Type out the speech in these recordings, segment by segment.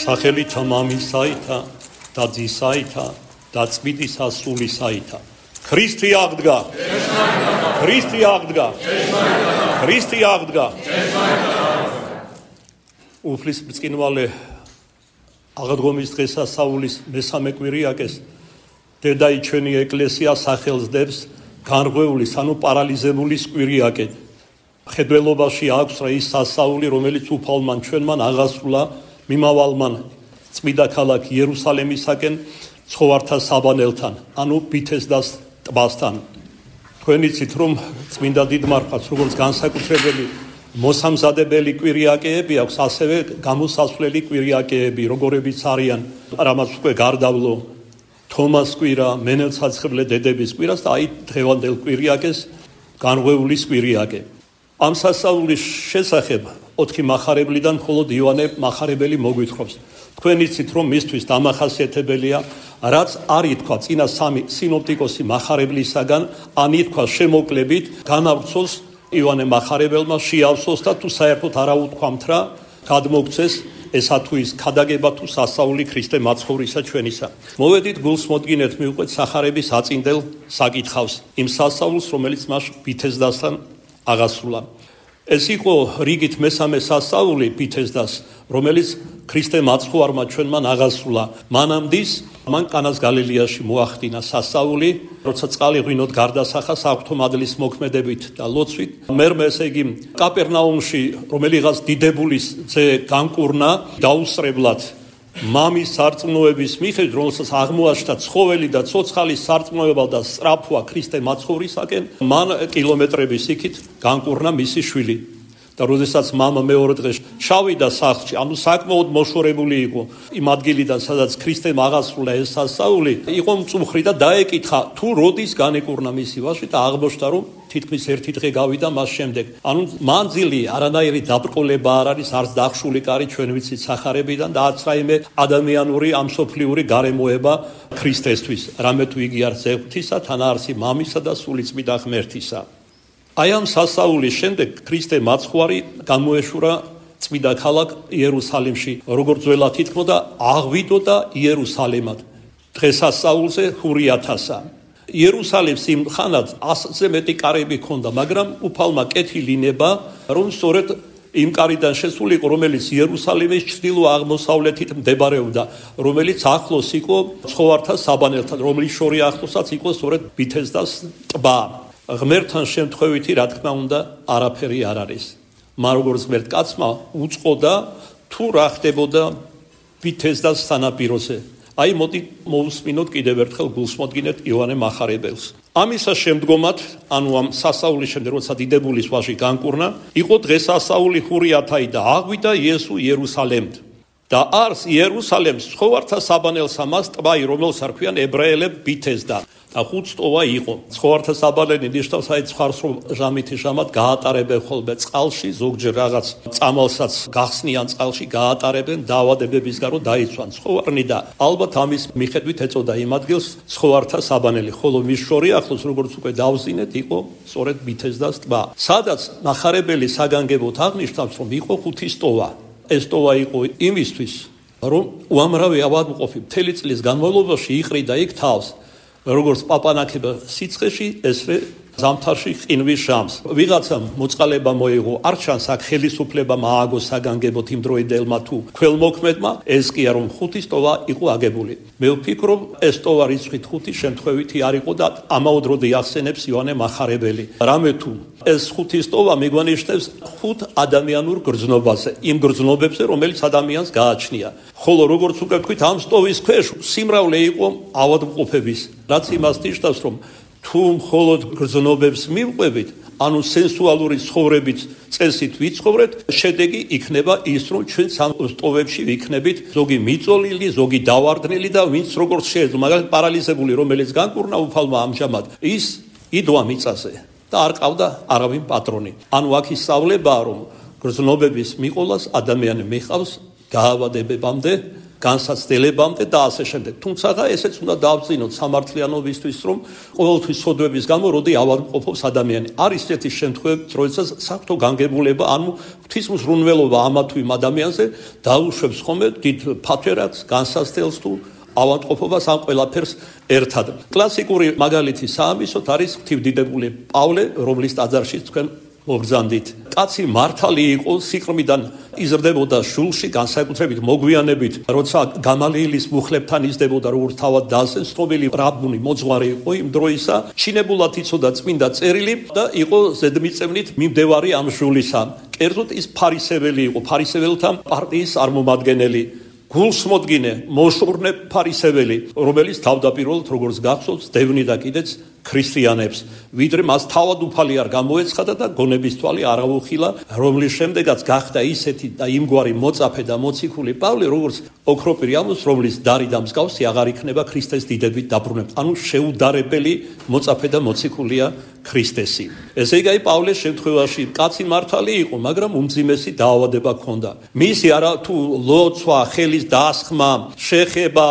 სახელითა მამისაითა და ძისაითა და წმინდისა სულისაითა. ქრისტე აღდგა. ქრისტე აღდგა. ქრისტე აღდგა. უფლის ბრწყინვალე აღდგომის დღესასწაულის მესამე კვირიაკეს დედაი ჩვენი ეკლესია სახელს დებს განღვეულის, ანუ პარალიზებულის კვირიაკეთ. ხედველობაში აქვს რა ის სასწაული, რომელიც უფალმა ჩვენმან აღასრულა მიმავალმან წმინდა ქალაქ იერუსალემისაკენ ცხოვართა საბანელთან, ანუ ბითესდას ტბასთან. თქვენ იცით, რომ წმინდა დიდმარხვას როგორც განსაკუთრებელი მოსამზადებელი კვირიაკეები აქვს, ასევე გამოსასვლელი კვირიაკეები, როგორებიც არიან რამაც უკვე გარდავლო თომას კვირა, მენელცაცხლე დედების კვირას და აი დღევანდელ კვირიაკეს განღვეულის კვირიაკე. ამ სასწაულის შესახებ 4 მახარებლიდან მხოლოდ იოანე მახარებელი მოგვითხრობს. თქვენ იცით, რომ მისთვის დამახასიათებელია, რაც არ ითქვა წინა 3 სინოპტიკოსი მახარებლისაგან, ან ითქვა შემოკლებით, განავრცოს იოანე მახარებელმა, შეავსოს და თუ საერთოდ არა უთქვამთ რა, გადმოგცეს ესა თუ ის ქადაგება თუ სასწაული ქრისტე მაცხოვრისა ჩვენისა. მოვედით გულს მოდგინეთ მივყვეთ სახარების აწინდელ საკითხავს, იმ სასწაულს, რომელიც მას ბითესდასთან აღასრულა. ეს იყო რიგით მესამე სასწაული ბითესდას, რომელიც ქრისტე მაცხოვარმა ჩვენმან აღასრულა. მანამდის მან კანას გალილეაში მოახდინა სასწაული, როცა წყალი ღვინოდ გარდასახა საღვთო მადლის მოქმედებით და ლოცვით. მერმე ესე იგი კაპერნაუმში რომელიღაც დიდებულის ძე განკურნა დაუსწრებლად მამის სარწმუნოების მიხედვით, რომელსაც აღმოაჩნდა ცხოველი და ცოცხალის სარწმუნოება და სწრაფვა ქრისტე მაცხოვრისაკენ, მან კილომეტრების იქით განკურნა მისი შვილი. და როდესაც მამა მეორე დღეს ჩავიდა სახლში, ანუ საკმაოდ მოშორებული იყო იმ ადგილიდან, სადაც ქრისტემ აღასრულა ეს სასწაული, იყო მწუხრი და დაეკითხა, თუ როდის განეკურნა მისი ვაჟი და აღმოჩნდა, რომ თითქმის 1 დღე გავიდა მას შემდეგ. ანუ მანძილი არანაირი დაბრკოლება არ არის, არც დახშული კარი ჩვენ ვიცით სახარებიდან და არც რაიმე ადამიანური ამ სოფლიური გარემოება ქრისტესთვის, რამე თუ იგი არც ღვთისა, თან არსი მამისა და სულიწმიდა ღმერთისა. აი ამ სასწაულის შემდეგ ქრისტე მაცხვარი გამოეშურა წმინდა ქალაქ იერუსალიმში, როგორც ძველად ითქმოდა, აღვიდოდა იერუსალემად. დღესასწაულზე ჰურიათასა. იერუსალიმს იმ ხანად 100-ზე მეტი კარები ჰქონდა, მაგრამ უფალმა კეთილი ნება, რომ სწორედ იმ კარიდან შესულიყო, რომელიც იერუსალიმის ჩრდილო-აღმოსავლეთით მდებარეობდა, რომელიც ახლოს იყო ცხოვართა საბანელთან, რომლის შორი ახლოსაც იყო სწორედ ბითესდას ტბა. ღმერთთან შემთხვევითი, რა თქმა უნდა, არაფერი არ არის. მაგრამ როგორც ღმერთ კაცმა უწყოდა, თუ რა ხდებოდა ბითესდას სანაპიროზე. აი მოდი მოусმინოთ კიდევ ერთხელ გულს მოდგინეთ იოანე მახარებელს. ამისა შემდგომად, ანუ ამ სასწაულის შემდეგ, როცა დიდებულის ვაჟი განკურნა, იყო დღესასწაული ჰურიათაი და აღვიდა იესო იერუსალემთ. და არს იერუსალემს ცხოვართა საბანელსა მას ტბაი, რომელს არქვიან ებრაელებ ბითესდა. და 5 ტოვა იყო. ცხოვართა საბანელი ნიშნავს აი ცხარს, რომ ჟამითი ჟამად გაატარებენ ხოლმე წყალში, ზოგჯერ რაღაც წამალსაც გახსნიან წყალში, გაატარებენ დაავადებების გარო დაიცვან ცხოვარნი და ალბათ ამის მიხედვით ეწოდა იმ ადგილს ცხოვართა საბანელი, ხოლო მის შორი ახლოს, როგორც უკვე დავზინეთ, იყო სწორედ ბითესდას ტბა, სადაც მახარებელი საგანგებოდ აღნიშნავს, რომ იყო 5 ტოვა. ეს ტოვა იყო იმისთვის, რომ უამრავი ავადმყოფი მთელი წლის განმავლობაში იყრიდა იქ თავს, როგორც პაპანაკება სიცხეში, ესე ზამთარში ყინვის ჟამს. ვიღაცამ მოწყალება მოიღო, არ ჩანს აქ ხელისუფლება მააგო საგანგებოდ იმ დროინდელმა თუ ქველმოქმედმა, ეს კია რომ 5 ტოვა იყო აგებული. მე ვფიქრობ, ეს ტოვა რიცხვით 5 შემთხვევითი არ იყო და ამაოდროდ ახსენებს იოანე მახარებელი. რამე თუ ეს 5 ტოვა მიგვანიშნებს 5 ადამიანურ გრძნობაზე, იმ გრძნობებზე, რომელიც ადამიანს გააჩნია. ხოლო როგორც უკვე ვთქვით, ამ ტოვის ქვეშ სიმრავლე იყო ავადმყოფების, რაც იმას ნიშნავს, რომ თუ მხოლოდ გრძნობებს მივყვებით, ანუ სენსუალური ცხოვრებით წესით ვიცხოვრეთ, შედეგი იქნება ის, რომ ჩვენ სამ ტოვებში ვიქნებით ზოგი მიწოლილი, ზოგი დავარდნილი და ვინც როგორც შეიძლება, მაგალითად პარალიზებული, რომელიც განკურნა უფალმა ამჟამად, ის იდვა მიწაზე და არ ყავდა არავინ პატრონი. ანუ აქ ისწავლებაა, რომ გრძნობების მიყოლას ადამიანი მიყავს გაავადებებამდე განსაცდელებამდე და ასე შემდეგ. თუმცა ესეც უნდა დავწინოთ სამართლიანობისთვის, რომ ყოველთვის სოდვების გამო როდი ავადმყოფობს ადამიანი. არის ესეთი შემთხვევები, როდესაც საფრთხო განგებულება, ანუ ღვთისმსრუნველობა ამა თუ იმ ადამიანზე დაუშვებს ხოლმე დიდ ფათერაკს, განსაცდელს თუ ავადმყოფობას ამ ყველაფერს ერთად. კლასიკური მაგალითი საამისოთ არის ღვთივდიდებული პავლე, რომლის ტაძარში თქვენ მოგზანდით. კაცი მართალი იყო, სიყრმიდან იზრდებოდა შულში, განსაკუთრებით მოგვიანებით, როცა გამალიელის მუხლებთან იზრდებოდა, როგორც თავად დაასწრეს, ცნობილი რაბუნი მოძღვარი იყო იმ დროისა, ჩინებულად იცოდა წმინდა წერილი და იყო ზედმიწევნით მიმდევარი ამ შულისა. კერძოდ ის ფარისეველი იყო, ფარისეველთა პარტიის წარმომადგენელი. გულსმოდგინე, მოშურნე ფარისეველი, რომელიც თავდაპირველად როგორც გახსოვს, დევნიდა კიდეც ქრისტიანებს, ვიდრე მას თავად უფალი არ გამოეცხადა და გონების თვალი არ აუხილა, რომლის შემდეგაც გახდა ისეთი და იმგვარი მოწაფე და მოციქული პავლე, როგორც ოქროპირი ამოს, რომლის დარი და მსგავსი აღარ იქნება ქრისტეს დიდებით დაბრუნებით. ანუ შეუდარებელი მოწაფე და მოციქულია ქრისტესი. ესე იგი, პავლეს შემთხვევაში კაცი მართალი იყო, მაგრამ უმძიმესი დაავადება ჰქონდა. მისი არა თუ ლოცვა, ხელის დასხმა, შეხება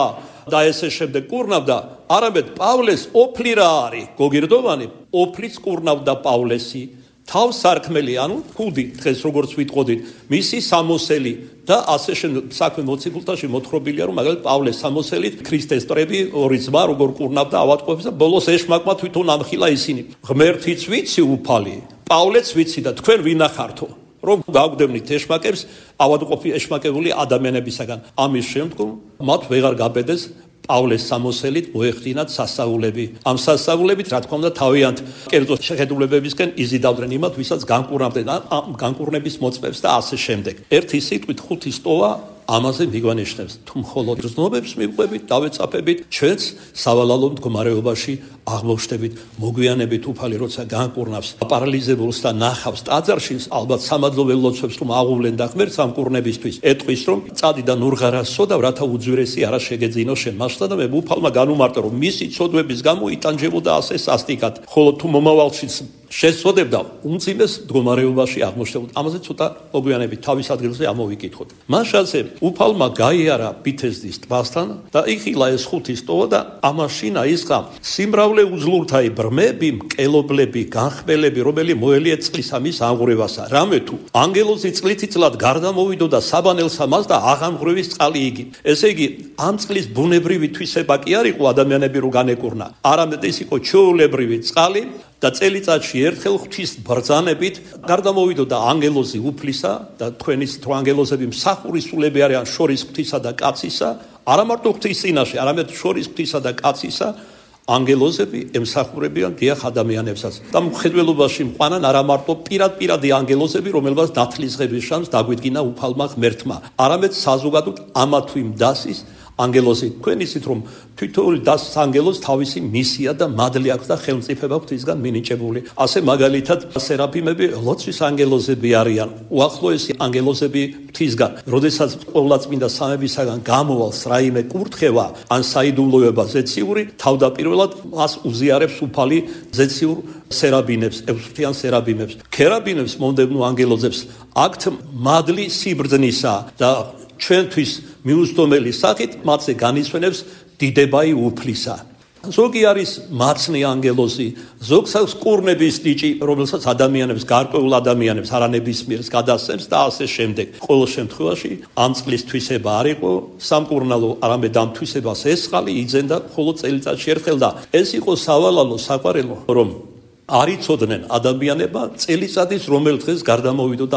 და ესე შემდეგ კურნავდა, არამედ პავლეს ოფლი რა არის, გოგირდოვანი, ოფლიც კურნავდა პავლესი, თავსარქმელი, ანუ ქუდი, დღეს როგორც ვიტყოდით, მისი სამოსელი და ასე შემდეგ საქმე მოციქულთაში მოთხრობილია, რომ მაგალითად პავლეს სამოსელით ქრისტეს ტრები ორი ძმა როგორ კურნავდა ავადმყოფებს და ბოლოს ეშმაკმა თვითონ ამხილა ისინი. ღმერთიც ვიცი უფალი, პავლეც ვიცი და თქვენ ვინახართო, რომ გავგდევნით ეშმაკებს ავადმყოფი ეშმაკებული ადამიანებისაგან. ამის შემდგომ მათ ვეღარ გაბედეს პავლეს სამოსელით მოეხდინათ სასწაულები. ამ სასწაულებით, რა თქმა უნდა, თავიანთ კერძო შეხედულებებისკენ იზიდავდნენ იმათ, ვისაც განკურნავდნენ ამ განკურნების მოწმებს და ასე შემდეგ. ერთი სიტყვით ხუთი სტოვა ამაზე მიგვანიშნებს, თუ მხოლოდ გრძნობებს მივყვებით, დავეწაფებით, ჩვენც სავალალო მდგომარეობაში აღმოჩნდებით, მოგვიანებით უფალი როცა განკურნავს პარალიზებულს და ნახავს ტაძარში, ალბათ სამადლოვე ლოცვებს რომ აღუვლენ და ღმერთს ამ კურნებისთვის ეტყვის, რომ წადი და ნურღარას სოდავ, რათა უძვირესი არა შეგეძინო შენ. მასშტა და მე უფალმა განუმარტო, რომ მისი ცოდვების გამო იტანჯებოდა ასე სასტიკად, ხოლო თუ მომავალშიც შეცოდებდა, უმძიმეს მდგომარეობაში აღმოჩნდებოდა. ამაზე ცოტა მოგვიანებით თავის ადგილზე ამოვიკითხოთ. მაშასე უფალმა გაიარა ბითესდის ტბასთან და იხილა ეს ხუთი სტოვა და ამაშინა ისყა სიმრავლე უძლურთაი ბრმები, მკელობლები, განხმელები, რომელი მოელიეთ წყლის ამის აღურევასა. რამე თუ ანგელოზი წყლითიცლად გარდა მოვიდოდა საბანელსა მას და აღამღრევის წყალი იგი. ესე იგი, ამ წყლის ბუნებრივი თვისება კი არ იყო ადამიანები რო განეკურნა. არამედ ის იყო ჩვეულებრივი წყალი და წელიწადში ერთხელ ღვთის ბრძანებით გარდამოვიდოდა ანგელოზი უფლისა და თქვენის თუ ანგელოზები მსახურისულები არიან შორის ღვთისა და კაცისა, არა მარტო ღვთის წინაშე, არამედ შორის ღვთისა და კაცისა, ანგელოზები ემსახურებიან დიახ ადამიანებსაც. და მხედველობაში მყვანან არა მარტო პირადი ანგელოზები, რომელსაც ნათლისღების შანს დაგვიდგინა უფალმა ღმერთმა, არამედ საზოგადოდ ამა თუ იმ დასის ანგელოზი. თქვენ იცით, რომ თითოეული დასის ანგელოზს თავისი მისია და მადლი აქვს და ხელმწიფება ღვთისგან მინიჭებული. ასე მაგალითად სერაფიმები ლოცვის ანგელოზები არიან, უახლოესი ანგელოზები ღვთისგან. როდესაც ყოვლადწმინდა სამებისაგან გამოვალს რაიმე კურთხევა ან საიდუმლოება ზეციური, თავდაპირველად მას უზიარებს უფალი ზეციურ სერაბინებს, ექვსფრთიან სერაბინებს. ქერაბინებს, მომდევნო ანგელოზებს აქვთ მადლი სიბრძნისა და ჩვენთვის მიუსტომელი სახით მათზე განისვენებს დიდებაი უფლისა. ზოგი არის მაცნე ანგელოზი, ზოგს აქვს კურნების ნიჭი, რომელსაც ადამიანებს, გარკვეულ ადამიანებს არანებისმიერს გადასცემს და ასე შემდეგ. ყოველ შემთხვევაში ამ წყლის თვისება არ იყო სამკურნალო, არამედ ამ თვისებას ესხალი იძენდა მხოლოდ წელიწადში ერთხელ და ეს იყო სავალალო საყვარელო, რომ არ იცოდნენ ადამიანებმა წელიწადის რომელ დღეს გარდამოვიდოდა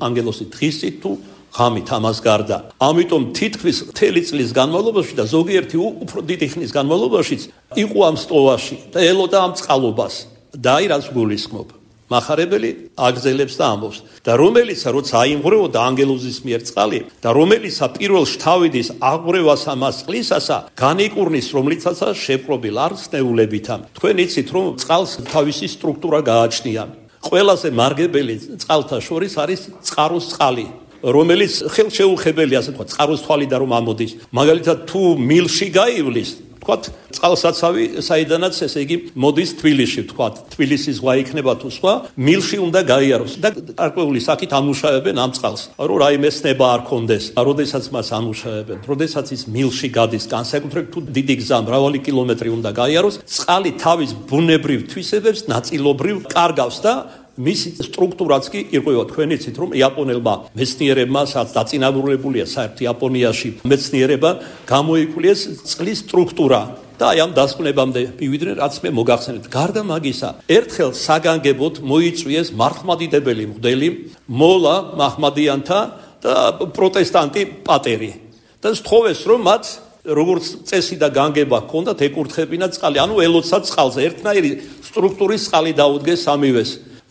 ანგელოზი, დღისით თუ ღამით ამას გარდა. ამიტომ თითქმის მთელი წლის განმავლობაში და ზოგიერთი უფრო დიდი ხნის განმავლობაშიც იყო ამ სტოვაში და ელოდა ამ წყალობას და აი რაც გულისხმობ. מחარებელი აგზელებს და ამბობს და რომელიც როცა აიმღრეოდა ანგელოზის მიერ წყალი და რომელისა პირველ შთავიდის აღღრევას ამას წყლისასა განიკურნის რომლიცაცა შეპყრობილ არ სნეულებითა. თქვენ იცით რომ წყალს თავისი სტრუქტურა გააჩნია. ყველაზე მარგებელი წყალთა შორის არის წყაროს წყალი, რომელიც ხელშეუხებელია, ასე ვთქვათ, წყაროს თვალიდან რომ ამოდის. მაგალითად, თუ მილში გაივლის, თქვათ წყალსაცავი საიდანაც ესე იგი მოდის თბილისში, თქვათ თბილისის ზღვა იქნება თუ სხვა, მილში უნდა გაიაროს და გარკვეული საკით ამუშავებენ ამ წყალს, რომ რაიმე სნება არ კონდეს, როდესაც მას ამუშავებენ, როდესაც ის მილში გადის, განსაკუთრებით თუ დიდი გზა მრავალი კილომეტრი უნდა გაიაროს, წყალი თავის ბუნებრივ თვისებებს ნაწილობრივ კარგავს და მისი სტრუქტურაც კი ირკვევა. თქვენ იცით რომ იაპონელმა მეცნიერებმა სადაც დაწინაურებულია საერთოდ იაპონიაში მეცნიერება გამოიკვლიეს წყლის სტრუქტურა და აი ამ დასკვნებამდე მივიდნენ რაც მე მოგახსენებთ. გარდა მაგისა, ერთხელ საგანგებოდ მოიწვიეს მართლმადიდებელი მღვდელი მოლა მაჰმადიანთა და პროტესტანტი პატერი და სთხოვეს რომ მათ როგორც წესი და განგება ჰქონდათ ეკურთხებინათ წყალი, ანუ ელოცათ წყალზე, ერთნაირი სტრუქტურის წყალი დაუდგეს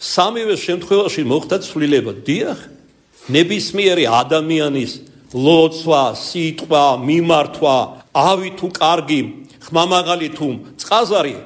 სამივე შემთხვევაში მოხდა ცვლილება. დიახ, ნებისმიერი ადამიანის ლოცვა, სიტყვა, მიმართვა, ავი თუ კარგი, ხმამაღალი თუ წყაზარი,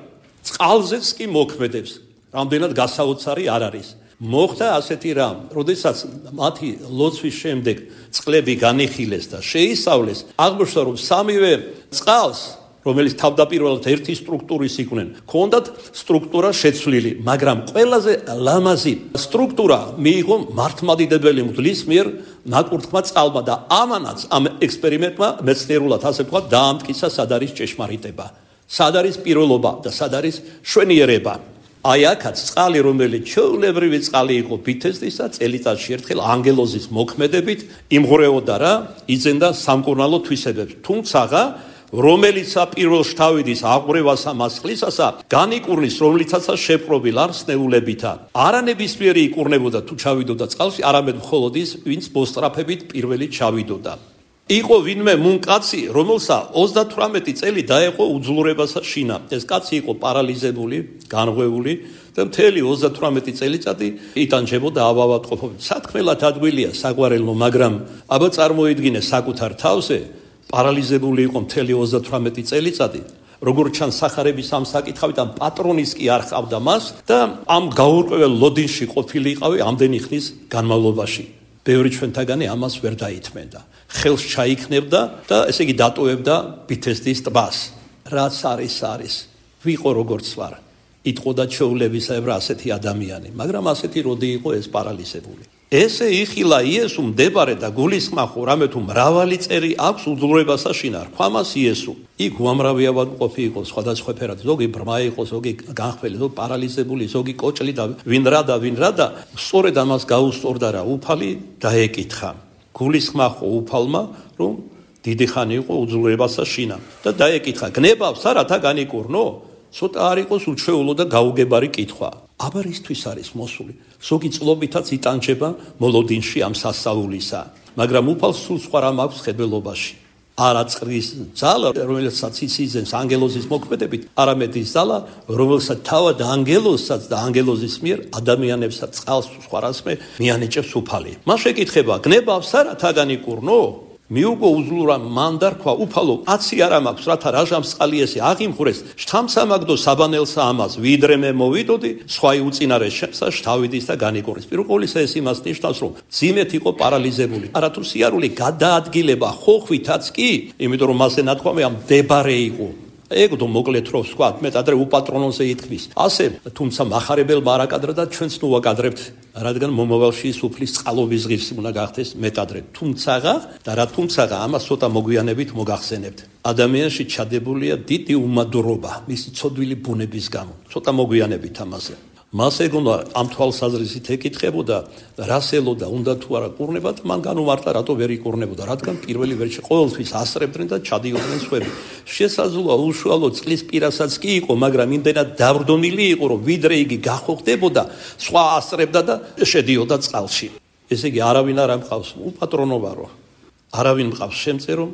წყალზეც კი მოქმედებს. რამდენად გასაოცარი არ არის. მოხდა ასეთი რამ, როდესაც მათი ლოცვის შემდეგ წყლები განიხილეს და შეისწავლეს, აღმოჩნდა რომ სამივე წყალს რომელიც თავდაპირველად ერთი სტრუქტურის იყვნენ, ჰქონდათ სტრუქტურა შეცვლილი, მაგრამ ყველაზე ლამაზი სტრუქტურა მიიღო მართლმადიდებელი მღვდლის მიერ ნაკურთხმა წყალმა და ამანაც ამ ექსპერიმენტმა მეცნიერულად ასე ვთქვათ დაამტკიცა სად არის ჭეშმარიტება, სად არის პირველობა და სად არის შვენიერება. აი აქაც წყალი, რომელიც ჩვეულებრივი წყალი იყო ბითესტისა, წელიწადში ერთხელ ანგელოზის მოქმედებით იმღვრეოდა რა, იძენდა სამკურნალო თვისებებს. თუმცაღა რომელიც პირველ შთავიდის აღვრევასა მასხლისასა განიკურნის რომლიცაცა შეპყრობილ არ სნეულებითა არანებისმიერი იკურნებოდა თუ ჩავიდოდა წყალში არამედ მხოლოდ ის ვინც მოსტრაფებით პირველი ჩავიდოდა. იყო ვინმე მუნკაცი რომელსა 38 წელი დაეყო უძლურებასა შინა. ეს კაცი იყო პარალიზებული, განღვეული და მთელი 38 წელიწადი იტანჯებოდა ავავატყოფობით. სათქმელად ადვილია საგვარელო, მაგრამ აბა წარმოიდგინე საკუთარ თავზე პარალიზებული იყო მთელი 38 წელიწადი, როგორც ჩანს სახარების ამ საკითხავიდან პატრონის კი არ ხავდა მას და ამ გაურკვეველ ლოდინში ყოფილი იყავი ამდენი ხნის განმავლობაში. ბევრი ჩვენთაგანი ამას ვერ დაითმენდა. ხელს ჩაიქნებდა და ესე იგი დატოვებდა ბითესტის ტბას. რაც არის, ვიყო როგორც ვარ. იტყოდა ჩვეულებისებრ ასეთი ადამიანი, მაგრამ ასეთი როდი იყო ეს პარალიზებული. ესე იხილა იესო მდებარე და გულისხმახო რამე თუ მრავალი წერი აქვს უძლურებასა შინა. რქვამას იესო. იქ უამრავი ავადმყოფი იყო სხვადასხვა ფერად, ზოგი ბრმა იყო, ზოგი განხმელი, ზოგი პარალიზებული, ზოგი კოჭლი და ვინ რა და სწორედ ამას გაუსწორდა რა უფალი დაეკითხა. გულისხმახო უფალმა რომ დიდი ხანი იყო უძლურებასა შინა და დაეკითხა გნებავს რათა განიკურნო? ცოტა არ იყოს უჩვეულო და გაუგებარი კითხვა. აბა რისთვის არის მოსული? ზოგი წლობითაც იტანჯება მოლოდინში ამ სასწაულისა, მაგრამ უფალს სულ სხვა რამ აქვს ხედველობაში. არა წყლის ძალა, რომელსაც იცის ანგელოზის მოქმედებით, არამედ ის ძალა, რომელსაც თავად ანგელოზსაც და ანგელოზის მიერ ადამიანებსაც წყალს სხვა რასმე მიანიჭებს უფალი. მას შეკითხება, გნებავს რათა განიკურნო? მიუგო უძლურა მან დარქვა უფალო, აცი არ მაქვს რათა რაჟამს წყალიესი აღიმღვრეს, შთამსამაგდო საბანელსა ამას, ვიდრე მე მოვიდოდი, სხვა უწინარეს შემსა შთავიდის და განიკურნის. პირველ ყოვლისა ეს იმას ნიშნავს, რომ ძიმეთ იყო პარალიზებული. არათუ სიარული გადაადგილება ხოხვითაც კი, იმიტომ რომ მასე ნათქვამი ამ დებარე იყო. ეგდო მოკლედ რო ვსვათ, მე ადრე უპატრონოზე ითქმის. ასე, თუმცა მახარებელმა არ აკადრა და ჩვენც ნუ ვაკადრებთ, რადგან მომავალში სუფლის წყალობის ღირსი უნდა გახდეს მეტადრე. თუმცაღა ამას ცოტა მოგვიანებით მოგახსენებთ. ადამიანში ჩადებულია დიდი უმადურობა, მისი ცოდვილი ბუნების გამო. ცოტა მოგვიანებით ამაზე. მას ეგონა ამ თვალსაზრისით ეკითხებოდა, რას ელოდა, უნდა თუ არა კურნება და მან განუმარტა, რატო ვერ იკურნებოდა, რადგან პირველი ვერში ყოველთვის ასრებდნენ და ჩადიოდნენ სხვები. შესაძლოა უშუალო წყლის პირასაც კი იყო, მაგრამ იმდენად დავრდომილი იყო, რომ ვიდრე იგი გახოხდებოდა, სხვა ასრებდა და შედიოდა წყალში. ესე იგი, არავინ არ ამყავს უპატრონო ვარო. არავინ მყავს შემწერო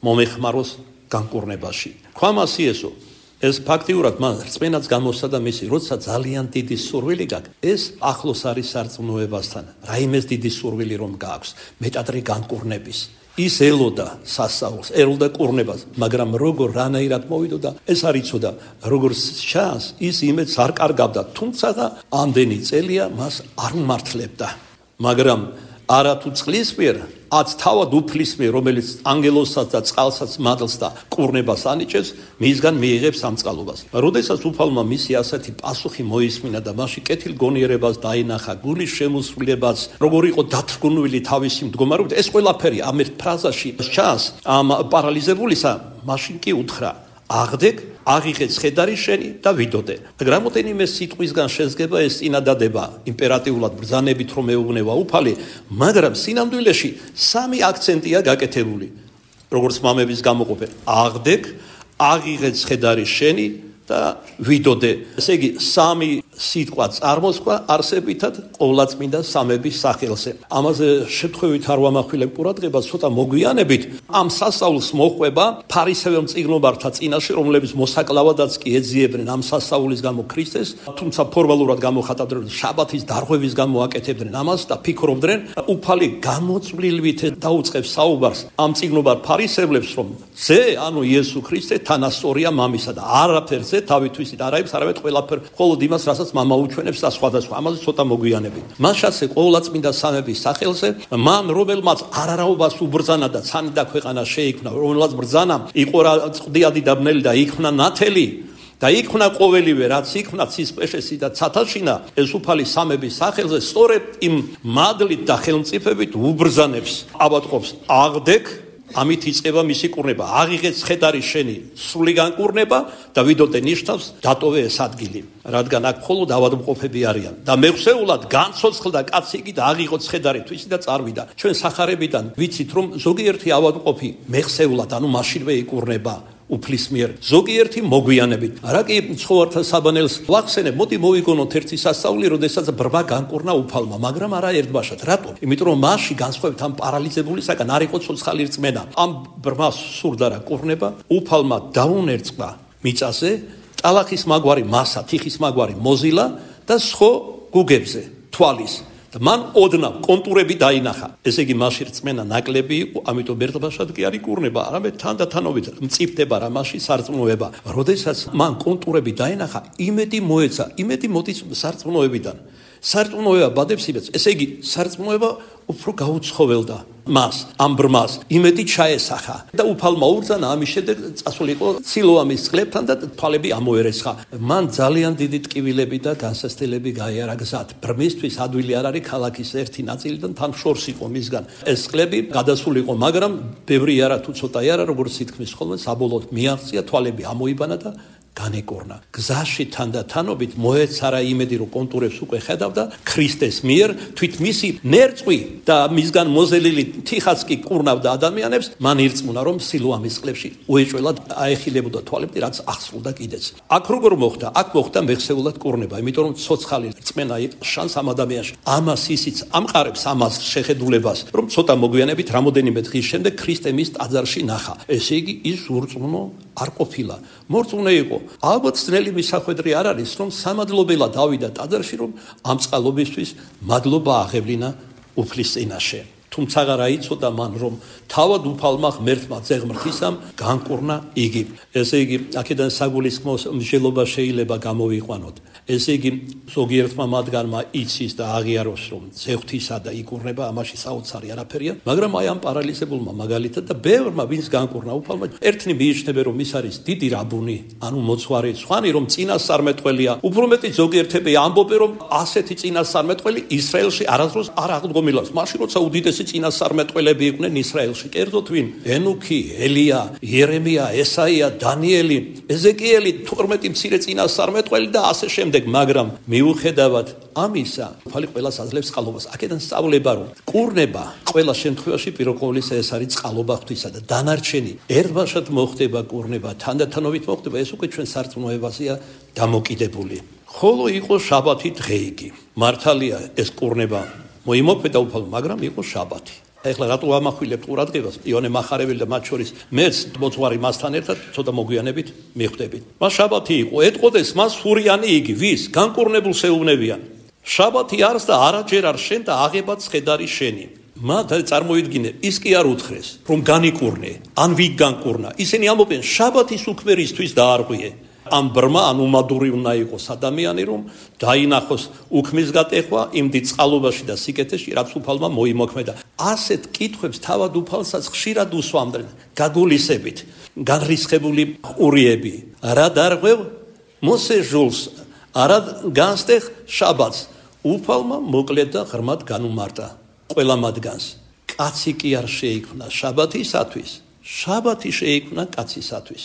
მომეხმაროს განკურნებაში. ქვამას იესო ეს ფაქტიურად მან რწმენაც გამოსცადა მისი, როცა ძალიან დიდი სურვილი გაქვს, ეს ახლოს არის სარწმუნოებასთან. რაიმეს დიდი სურვილი რომ გაქვს, მეტადრე განკურნების. ის ელოდა სასწაულს, ელოდა კურნებას, მაგრამ როგორ რანაირად მოვიდოდა, ეს არ იცოდა. როგორც ჩანს, ის იმედს არ კარგავდა, თუმცა ამდენი წელია მას არ უმართლებდა. მაგრამ არა თუ წყლის მიერ, აც თავად უფლის მიერ, რომელიც ანგელოსაც და წყალსაც მადლს და კურნებას ანიჭებს, მისგან მიიღებს ამ წყალობას. როდესაც უფალმა მისი ასეთი პასუხი მოისმინა და მასში კეთილგონიერებას დაინახა, გულის შემოსვლებას, როგორ იყო დათრგუნვილი თავისი მდგომარეობით, ეს ყველაფერი ამ ერთ ფრაზაში ჩანს ამ პარალიზებულისა, მაშინ კი უთხრა: აღდეკ, აღიღე ცხედარი შენი და ვიდოდე. რამოდენიმე სიტყვისგან შედგება ეს წინადადება იმპერატიულად ბრძანებით რომ ეუბნება უფალი, მაგრამ სინამდვილეში სამი აქცენტია გაკეთებული. როგორც მამების გამოყოფენ: აღდეკ, აღიღე ცხედარი შენი და ვიდოდე. ესე იგი, სამი სიტყვა წარმოსქვა არსებითად ყოვლადწმინდა სამების სახელზე. ამაზე შემთხვევით არ ვამახვილებ ყურადღებას, ცოტა მოგვიანებით ამ სასწაულს მოხვება ფარისეველ მწიგნობართა წინაშე, რომლებიც მოსაკლავადაც კი ეძიებდნენ ამ სასწაულის გამო ქრისტეს, თუმცა ფორმალურად გამოხატავდნენ, შაბათის დარღვევის გამო აკეთებდნენ ამას და ფიქრობდნენ, უფალი გამოწვლილვით დაუწყებს საუბარს ამ მწიგნობარ ფარისევლებს, რომ ზე, ანუ იესო ქრისტე თანასწორია მამისა და არაფერზე თავითვისით არაებს, არამედ ყველაფერ მხოლოდ იმას, რასაც მამა უჩვენებს და სხვადასხვა. ამაზე ცოტა მოგვიანებით. მას ასე ყოვლადწმინდა სამების სახელზე, მან რომელმაც არარაობას უბრძანა და ცანი და ქვეყანა შეიქმნა, რომელმაც ბრძანა იყო წყდიადი და ბნელი და იქმნა ნათელი და იქმნა ყოველივე, რაც იქმნა ცისპეშესი და ცათაშინა, ეს უფალი სამების სახელზე სწორედ იმ მადლით და ხელმწიფებით უბრძანებს, აბატყობს: აღდეკ, ამით იწყება მისი კურნება. აღიღე ცხედარი შენი სრული განკურნება და ვიდოდე ნიშნავს დატოვე ეს ადგილი, რადგან აქ მხოლოდ ავადმყოფები არიან და მეხსეულად განცოცხლდა კაცი იგი და აღიღო ცხედარი თვისი და წარვიდა. ჩვენ სახარებიდან ვიცით რომ ზოგიერთი ავადმყოფი მეხსეულად, ანუ მაშინვე იკურნება უფლის მიერ, ზოგიერთი მოგვიანებით. რა კი ცხოვართა საბანელს ვახსენებ, მოდი მოვიგონოთ ერთი სასწაული, როდესაც ბრმა განკურნა უფალმა, მაგრამ არა ერთბაშად. რატო? იმიტომ რომ მასში განსხვავებით ამ პარალიზებულისაგან არ იყო ცოცხალი რწმენა. ამ ბრმას სურდა რა კურნება, უფალმა დაუნერწყა მიწაზე ტალახის მაგვარი მასა, თიხის მაგვარი მოზილა და სხვა გუგებზე თვალის. მან ოდნავ კონტურები დაინახა. ესე იგი, მასში რწმენა ნაკლები იყო, ამიტომ ერთბაშად კი არ იკურნება, არამედ თანდათანობით მწიფდება რა მასში სარწმუნოება. როდესაც მან კონტურები დაინახა, იმედი მოეცა, იმედი მოდის სარწმუნოებიდან. სარწმუნოება ბადებს იმედს, ესე იგი, სარწმუნოება უფრო გაუცხოველდა მას, ამ ბრმას, იმედი ჩაესახა და უფალმა უბრძანა, ამის შემდეგ წასულიყო სილოამის წყლებთან და თვალები ამოერესხა. მან ძალიან დიდი ტკივილები და განსასწრებელი გაიარა გზად. ბრმისთვის ადვილი არ არის ქალაქის ერთი ნაწილიდან თან შორს იყო მისგან. ეს წყლები გადასულიყო, მაგრამ ბევრი არა თუ ცოტა არა, როგორც ითქმის ხოლმე, საბოლოოდ მიაღწია, თვალები ამოიბანა და განეკორნა. გზაში თანდათანობით მოეცარა იმედი, რომ კონტურებს უკვე ხედავდა ქრისტეს მიერ, თვით მისი ნერწყვი და მისგან მოზელილი თიხაც კი კურნავდა ადამიანებს, მან ირწმუნა, რომ სილოამის წყლებში უეჭველად აეხილებოდა თვალები, რაც აღსრულდა კიდეც. აქ როგორ მოხდა? აქ მოხდა მეხსეულად კურნება, იმიტომ რომ ცოცხალი რწმენა შანს ამ ადამიანში. ამას ისიც ამყარებს ამას შეხედულებას, რომ ცოტა მოგვიანებით რამოდენიმე დღის შემდეგ ქრისტე მის ტაძარში ნახა. ესე იგი, ის ურწმუნო არ ყოფილა. მორწმუნე იყო. ალბათ ძნელი მისახვედრი არ არის, რომ სამადლობელა დავიდა ტაძარში, რომ ამ წყალობისთვის მადლობა აღევლინა უფლის წინაშე. თუმცა რა იცოდა მან, რომ თავად უფალმა ღმერთმა ძეღმრთისამ განკურნა იგი. ესე იგი, აქედან საგულისხმო მსჯელობა შეიძლება გამოვიყვანოთ. ესე იგი, ზოგიერთმა მათგანმა იცის და აღიაროს, რომ ძეღმრთისა და იკურნება, ამაში საოცარი არაფერია, მაგრამ აი ამ პარალიზებულმა მაგალითად და ბევრმა ვინც განკურნა უფალმა, ერთნი მიიჩნევენ, რომ ის არის დიდი რაბუნი, ანუ მოძღვარი, სხვანი რომ წინასწარმეტყველია. უფრო მეტი ზოგიერთები ამბობენ, რომ ასეთი წინასწარმეტყველი ისრაელში არასდროს არ აღდგომილავს. მაშინ როცა უდიდესი წინასწარმეტყველები იყვნენ ისრაელში, კერძოდ ვინ? ენუქი, ელია, იერემია, ესაია, დანიელი, ეზეკიელი, 12 მცირე წინასწარმეტყველი და ასე შემდეგ. მაგრამ მიუხედავად ამისა, უფალი ყველას აძლევს წყალობას. აქედან სწავლება, რომ კურნება ყველა შემთხვევაში პიროყოვლისა ეს არის წყალობა ღვთისა და დანარჩენი ერთბაშად მოხდება კურნება, თანდათანობით მოხდება, ეს უკვე ჩვენ სარწმუნოებაზეა დამოკიდებული. ხოლო იყო შაბათი დღე იგი. მართალია ეს კურნება მოიმოქმედა უფალმა, მაგრამ იყო შაბათი. ეხლა რატო ამახვილებთ ყურადღებას? იონე მახარებელი და მათ შორის მეც მოძღვარი მასთან ერთად ცოტა მოგვიანებით მიხვდებით. მას შაბათი იყო, ეტყოდეს მას ფურიანი იგი, ვის? განკურნებულს ეუბნებიან. შაბათი არის და არაჯერ არ შენ და აღებად ცხედარი შენი. მათ წარმოიდგინე, ის კი არ უთხრეს, რომ განიკურნე, ან ვიგ განკურნა. ისინი ამბობენ, შაბათის უქმერისთვის დაარღვიე. ამ ბრმა ან უმადური უნდა იყოს ადამიანი, რომ დაინახოს უქმის გატეხვა იმ დიდ წყალობაში და სიკეთეში, რაც უფალმა მოიმოქმედა. ასეთ კითხვებს თავად უფალსაც ხშირად უსვამდნენ, გაგულისებით, განრისხებული ურიები. რა დარღვევ მოსე ჟულს, არა განსტეხ შაბათს. უფალმა მოკლედ და ღრმად განუმარტა ყველა მათგანს. კაცი კი არ შეიქმნა შაბათისათვის, შაბათი შეიქმნა კაცისათვის.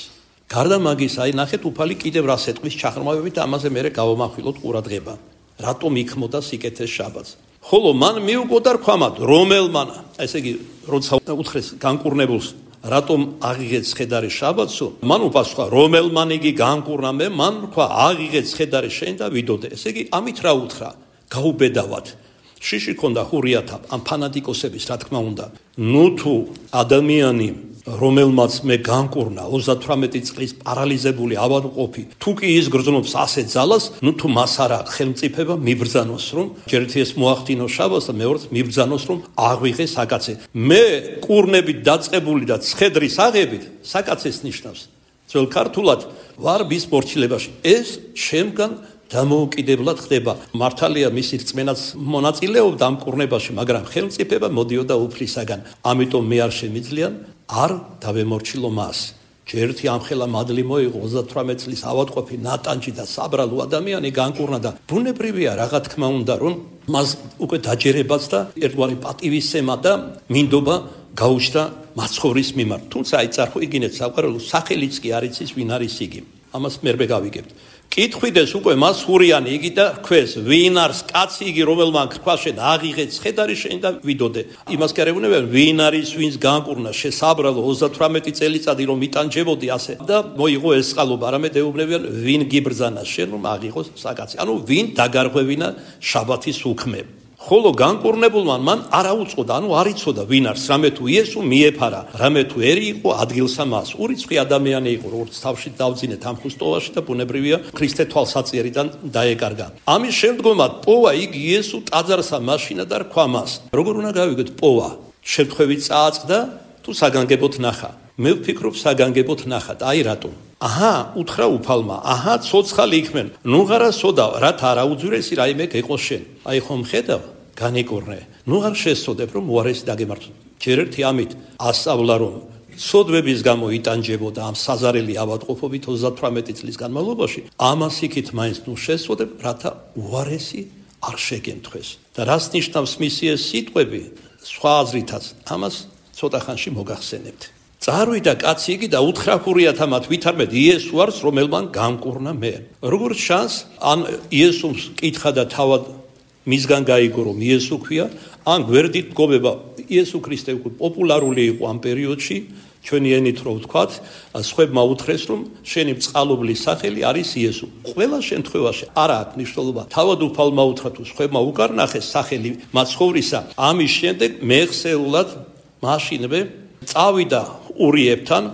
გარდა მაგის, აი ნახეთ უფალი კიდევ რას ეტყვის ჩაღრმავებით, ამაზე მერე გავამახვილოთ ყურადღება. რატომ იქმოდა სიკეთეს შაბათს? ხოლო მან მიუგოდა რქვამად, რომელმან, ესე იგი, როცა უთხრეს განკურნებულს, რატომ აღიღეთ ცხედარი შაბათსო, მან უპასუხა, რომელმან იგი განკურნა მე, მან თქვა, აღიღეთ ცხედარი შენ და ვიდოდე. ესე იგი, ამით რა უთხრა? გაუბედავად. შიში ქონდა ჰურიათა ამ ფანატიკოსების, რა თქმა უნდა. ნუ თუ ადამიანი, რომელმაც მე განკურნა 38 წლის პარალიზებული ავადმყოფი, თუ კი ის გრძნობს ასეთ ძალას, ნუ თუ მას არა ხელმწიფება მიბრძანოს, რომ ჯერთ ეს მოახდინოს შაბათს და მეორედ მიბრძანოს, რომ აღვიღეს საკაცე. მე კურნებით დაწყებული და ცხედრის აღებით საკაცეს ნიშნავს. ძველ ქართულად ვარ ბის მორჩილებაში. ეს შემგან დამოუკიდებლად ხდება. მართალია მისი რწმენაც მონაწილეობდა ამ კურნებაში, მაგრამ ხელმწიფება მოდიოდა უფლისაგან. ამიტომ მე არ შემიძლია არ დავემორჩილო მას. ჯერთი ამხელა მადლი მოიღო 38 წლის ავადმყოფი ნატანჯი და საბრალო ადამიანი განკურნა და ბუნებრივია რა თქმა უნდა, რომ მას უკვე დაჯერებაც და ერთგვარი პატივისცემა და მინდობა გაუჩნდა მაცხოვრის მიმართ. თუმცა აი წარხვიგინეთ საყვარელო სახელიც კი არ იცის ვინ არის იგი. ამას მერმე გავიგებთ. კითხვიდეს უკვე მას ჰურიანი იგი და ქვეს ვინ არის კაცი იგი რომელმან თქვა შენ აღიღე ცხედარი შენ და ვიდოდე. იმას კი არ ეუბნებიან ვინ არის ვინს განკურნა შესაბრალო 38 წელიწადი რომ იტანჯებოდი ასე და მოიღო ეს წყალობა, არამედ ეუბნებიან ვინ გიბრძანა შენ რომ აღიღოს საკაცი. ანუ ვინ დაგარღვევინა შაბათის უქმე. ხოლო განკურნებულმა მან არ აუწყოდა, ანუ არ იცოდა ვინ არის, რამე თუ იესო მიეფარა, რამე თუ ერი იყო ადგილსა მას. ურიცხვი ადამიანი იყო, როგორც თავში დავძინეთ ამ ხუსტოვაში და ბუნებრივია ქრისტე თვალსაწიერიდან დაეკარგა. ამის შემდგომად პოვა იგი იესო ტაძარსა მაშინა და რქვა მას. როგორ უნდა გავიგოთ პოვა? შემთხვევით წააწყდა თუ საგანგებოდ ნახა. მე ვფიქრობ საგანგებოდ ნახა. აი რატომ? აჰა, უთხრა უფალმა, აჰა, ცოცხალი იქმენ. ნუ ღარა სოდა, რათა არაუძვირესი რაიმე გეყოს შენ. აი ხომ ხედავ, განიკურნე. ნუ ღარ შესწოდებ, რომ უარესი დაგემართო. ჯერ ერთი ამით ასწავლა, რომ სოდვების გამო იტანჯებოდა ამ საზარელი ავადმყოფობით 38 წლის განმავლობაში. ამას იქით მაინც ნუ შესწოდებ, რათა უარესი არ შეგემთხვეს. და რას ნიშნავს მისი ეს სიტყვები? სხვა აზრითაც, ამას ცოტა ხანში მოგახსენებთ. წარვიდა კაცი იგი და უთხრა ჰურიათა მათ ვითარმედ იესო არის რომელმან განკურნა მე. როგორც ჩანს, ან იესოს კითხა და თავად მისგან გაიგო რომ იესო ქვია, ან გვერდით მგობება იესო ქრისტე უკვე პოპულარული იყო ამ პერიოდში, ჩვენი ენით რო ვთქვათ, სხვებმა უთხრეს რომ შენი წყალობლის სახელი არის იესო. ყველა შემთხვევაში არა აქვს მნიშვნელობა. თავად უფალმა უთხრა თუ სხვებმა უკარნახეს სახელი მაცხოვრისა, ამის შემდეგ მეხსეულად მაშინვე წავიდა ურიებთან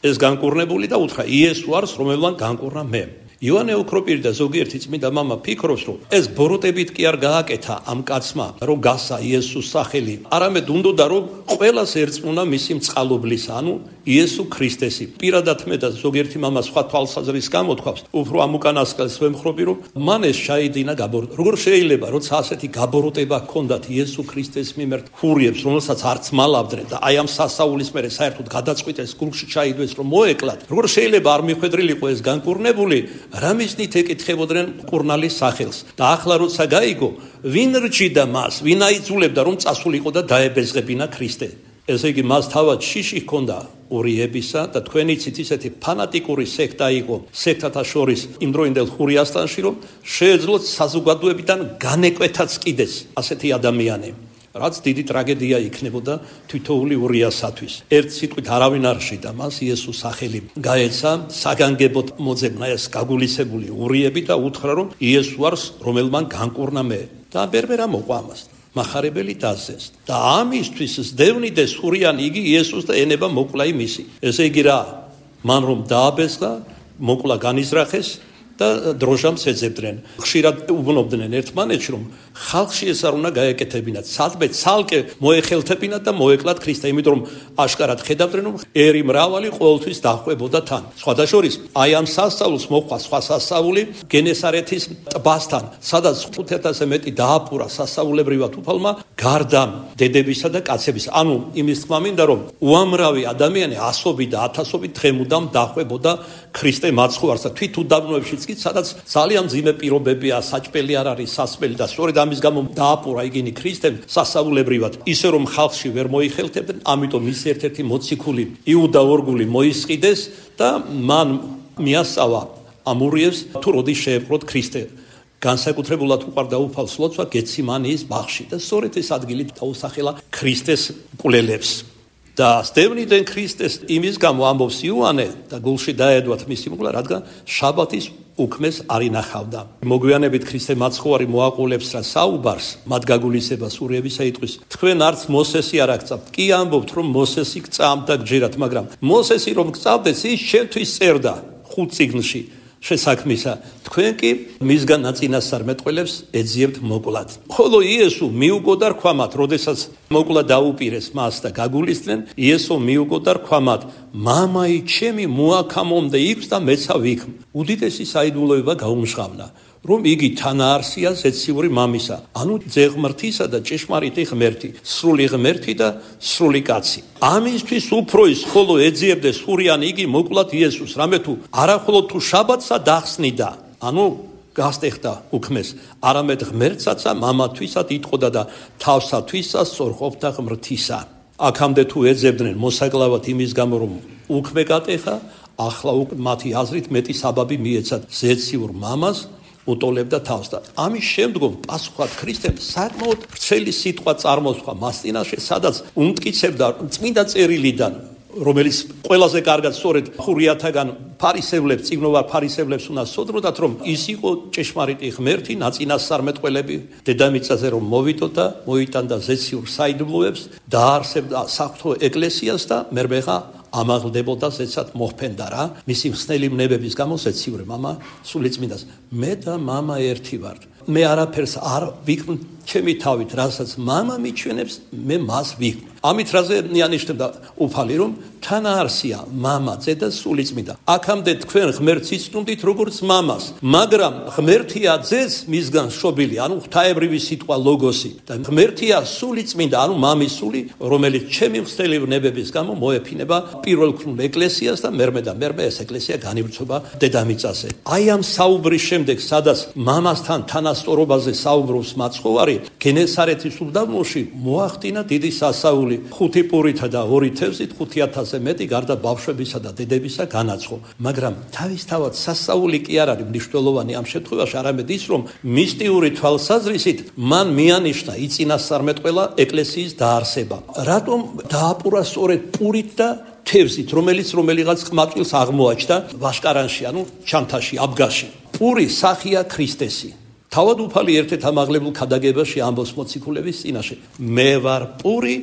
ეს განკურნებული და უთხრა იესო არის რომელმან განკურნა მე. ივანე ოქროპირი და ზოგიერთი წმინდა მამა ფიქრობს რომ ეს ბოროტებით კი არ გააკეთა ამ კაცმა რომ გასა იესოს სახელი, არამედ უნდოდა რომ ყველას ერწმუნა მისი წყალობლის, ანუ იესო ქრისტესი. პირადად მე და ზოგიერთი მამა სხვა თვალსაზრისით გამოთქვავს, უფრო ამ უკანასკნელს ვემხრობი რომ მან ეს ჩაიდინა გაბოროტება. როგორ შეიძლება როცა ასეთი გაბოროტება ჰქონდათ იესო ქრისტეს მიმართ ჰურიებს, რომელსაც არც მალავდნენ და აი ამ სასაულის მერე საერთოდ გადაწყვიტეს გულში ჩაიდვეს რომ მოეკლათ. როგორ შეიძლება არ მიხვედრილიყო ეს განკურნებული? რამისნით ეკითხებოდნენ კურნალის სახელს და ახლა როცა გაიგო ვინ რჩიდა მას, ვინ აიძულებდა რომ წასულიყო და დაებეზღებინა ქრისტე. ესე იგი მას თავად შიში ჰქონდა ურიებისა და თქვენი ცით ისეთი ფანატიკური სექტა იყო სექტათა შორის იმ დროინდელ ჰურიასტანში, რომ შეეძლოთ საზოგადოებიდან განეკვეთაც კიდეს ასეთი ადამიანი. რაც დიდი ტრაგედია იქნებოდა თითოეული ურიასათვის. ერთ სიტყვით არავინ არ შიდა მას იესოს სახელი გაეცა საგანგებოდ მოძებნა ეს გაგულისებული ურიები და უთხრა რომ იესო არის რომელმან განკურნა მე. და ბერბერა მოყვა ამას. მახარებელი დაზეს და ამისთვის სდევნიდეს ჰურიანი იგი იესოს და ენება მოკლა იმისი. ესე იგი რა, მან რომ დააბეზღა, მოკლა განიზრახეს და დროჟამს ეძებდნენ. ხშირად უბნობდნენ ერთმანეთში, რომ ხალხში ეს არ უნდა გაეკეთებინათ. სადმე ცალკე მოეხელთებინათ და მოეკლათ ქრისტე, იმიტომ რომ აშკარად ხედავდნენ, რომ ერი მრავალი ყოველთვის დახვებოდა თან. სხვადასხვის აი ამ სასწაულს მოყვა სხვა სასწაული გენესარეთის ტბასთან, სადაც 5000-ზე მეტი დააპურა სასწაულებრივად უფალმა გარდა დედებისა და კაცების. ანუ იმის თქმა მინდა, რომ უამრავი ადამიანი ასობით და ათასობით დღემუდამ დახვებოდა ქრისტე მაცხოვარს და თვით უდაბნოებშიც კი, სადაც ძალიან მძიმე პირობებია, საჭპელი არ არის, სასმელი და სწორედ ამის გამო დააპურა იგინი ქრისტემ სასწაულებრივად, ისე რომ ხალხში ვერ მოიხელთებდნენ, ამიტომ ის ერთ-ერთი მოციქული იუდა ორგული მოისყიდეს და მან მიასწავა ამურიებს თუ როდის შეეპყროთ ქრისტე. განსაკუთრებულად უყარდა უფალს ლოცვა გეციმანიის ბაღში და სწორედ ეს ადგილი დაუსახელა ქრისტეს მკვლელებს. და სტევნიდან ქრისტეს იმის გამო ამბობს იოანე და გულში დაედვათ მისი მოკლა, რადგან შაბათის უქმეს არ ინახავდა. მოგვიანებით ქრისტე მაცხოვარი მოაყოლებს რა საუბარს, მათ გაგულისებას ურიებისა იტყვის. თქვენ არც მოსესი არ აქცავთ. კი ამბობთ, რომ მოსესი გწამდა გჯერათ, მაგრამ მოსესი რომ გწამდეს, ის შენთვის წერდა 5 წიგნში შესაქმისა. თქვენ კი მისგან ნაწინასწარმეტყველებს ეძიებთ მოკლად. ხოლო იესო მიუგო და რქვამათ, როდესაც მოკლა დაუპირეს მას და გაგულისდნენ, იესო მიუგო და რქვამათ, მამაი ჩემი მოაქამომდა იქს და მეცა ვიქ. უდიდესი საიდუმლოება გაუმჟღავნა, რომ იგი თანაარსია ზეციური მამისა, ანუ ძეღმრთისა და ჭეშმარიტი ღმერთი, სრული ღმერთი და სრული კაცი. ამისთვის უფრო ის ხოლო ეძიებდეს ხურიან იგი მოკლათ იესოს, რამე თუ არახოლოდ თუ შაბათსა დახსნიდა, ანუ გასტეხდა უქმეს, არამედ ღმერთსაცა მამათვისად იტყოდა და თავსათვისა სწორყოფდა ღმრთისა. აქამდე თუ ეძებდნენ მოსაკლავად იმის გამო, რომ უქმე გატეხა, ახლა მათი აზრით მეტი საბაბი მიეცათ ზეციურ მამას უტოლებდა თავს და ამის შემდგომ პასუხად ქრისტემ საკმაოდ ვრცელი სიტყვა წარმოსხვა მას წინაშე, სადაც უმტკიცებდა წმინდა წერილიდან, რომელიც ყველაზე კარგად სწორედ ხურიათაგან ფარისევლებს, წიგნოვარ ფარისევლებს უნდა სოდროდათ, რომ ის იყო ჭეშმარიტი ღმერთი, ნაწინასწარმეტყველები დედამიწაზე რომ მოვიდოდა, მოიტანდა ზეციურ საიდუმლოებს, დაარსებდა საღვთო ეკლესიას და მერმეღა ამაღლდებოდა ზეცად მოხფენდა რა, მისი მხსნელი ვნებების გამო ზეციური მამა სულიწმინდას. მე და მამა ერთი ვართ. მე არაფერს არ ვიქმნ ჩემი თავით, რასაც მამა მიჩვენებს, მე მას ვიქმნ. ამით რაზე ნიშნავდა უფალი, რომ თანაარსია მამა, ძე და სულიწმინდა. აქამდე თქვენ ღმერთს იცნობდით როგორც მამას, მაგრამ ღმერთია ძეს მისგან შობილი, ანუ ღვთაებრივი სიტყვა ლოგოსი და ღმერთია სულიწმინდა, ანუ მამის სული, რომელიც ჩემი მხსნელი ვნებების გამო მოეფინება პირველქნულ ეკლესიას და მერმე და მერმე ეს ეკლესია განივრცობა დედამიწაზე. აი ამ საუბრის შემდეგ, სადაც მამასთან თანასწორობაზე საუბრობს მაცხოვარი, გენესარეთის უდაბნოში მოახდინა დიდი სასაული. 5 პურითა და 2 თევზით 5000-ზე მეტი გარდა ბავშვებისა და დედებისა განაცხო. მაგრამ თავისთავად სასაული კი არ არის მნიშვნელოვანი ამ შემთხვევაში, არამედ ის, რომ მისტიური თვალსაზრისით მან მიანიშნა იწინასწარმეტყველა ეკლესიის დაარსება. რატომ დააპურა სწორედ პურით და თევზით, რომელიღაც ყმაწვილს აღმოაჩნდა ვაშკარანში, ანუ ჩანთაში, აბგაში. პური სახია ქრისტესი. თავად უფალი ერთ-ერთ ამაღლებულ ქადაგებაში ამბობს მოციქულების წინაშე, მე ვარ პური,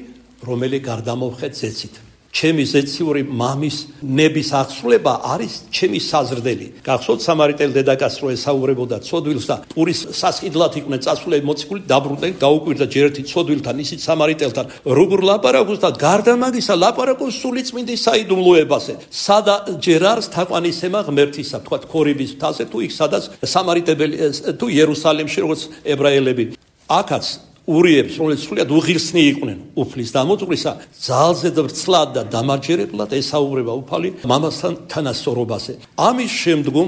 რომელი გარდამოვხეთ ზეცით. ჩემი ზეციური მამის ნების აღსრულება არის ჩემი საზრდელი. გახსოვთ სამარიტელ დედაკაცს რო ესაუბრებოდა ცოდვილს და პურის სასყიდლად იყვნენ წასულები მოციქული, დაბრუნდნენ, გაუკვირდა ჯერ ერთი ცოდვილთან, ისიც სამარიტელთან, როგორ ლაპარაკობს და გარდა მაგისა ლაპარაკობს სულიწმინდის საიდუმლოებაზე. სადა ჯერ არის თაყვანისცემა ღმერთისა, თქვათ ქორიბის მთაზე თუ იქ სადაც სამარიტებელი თუ იერუსალიმში როგორც ებრაელები. აქაც ურიებს, რომელიც სრულიად უღირსნი იყვნენ უფლის დამოწვრისა, ძალზე ვრცლად და დამარჯერებლად ესაუბრება უფალი მამასთან თანასწორობაზე. ამის შემდგომ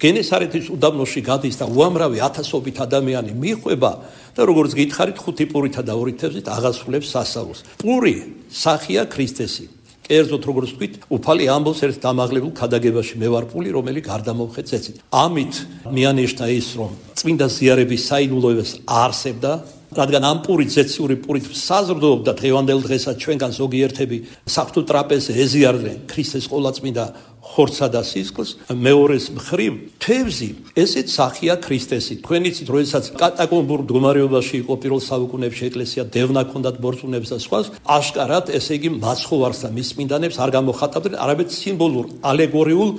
გენესარეთის უდაბნოში გადის და უამრავი ათასობით ადამიანი მიხვება და როგორც გითხარით 5 პურითა და 2 თევზით აღასრულებს სასაულს. პური სახია ქრისტესი. კერძოდ როგორც ვთქვით, უფალი ამბობს ერთ დამაღლებულ ქადაგებაში, მე ვარ პური, რომელი გარდამოვხეთ ზეცით. ამით მიანიშნა ის, რომ წმინდა ზიარების საიდუმლოებას არსებდა, რადგან ამ პურით, ზეციური პურით საზრდოობდა დღევანდელ დღესაც ჩვენგან ზოგიერთები საღვთო ტრაპეზზე ეზიარდნენ ქრისტეს ყოვლადწმინდა ხორცსა და სისხლს. მეორეს მხრივ თევზი ესეც სახია ქრისტესი. თქვენ იცით, როდესაც კატაკომბურ მდგომარეობაში იყო პირველ საუკუნეებში ეკლესია, დევნა ჰქონდათ ბორცვუნებს და სხვა, აშკარად ესე იგი მაცხოვარს და მის წმინდანებს არ გამოხატავდნენ, არამედ სიმბოლურ, ალეგორიულ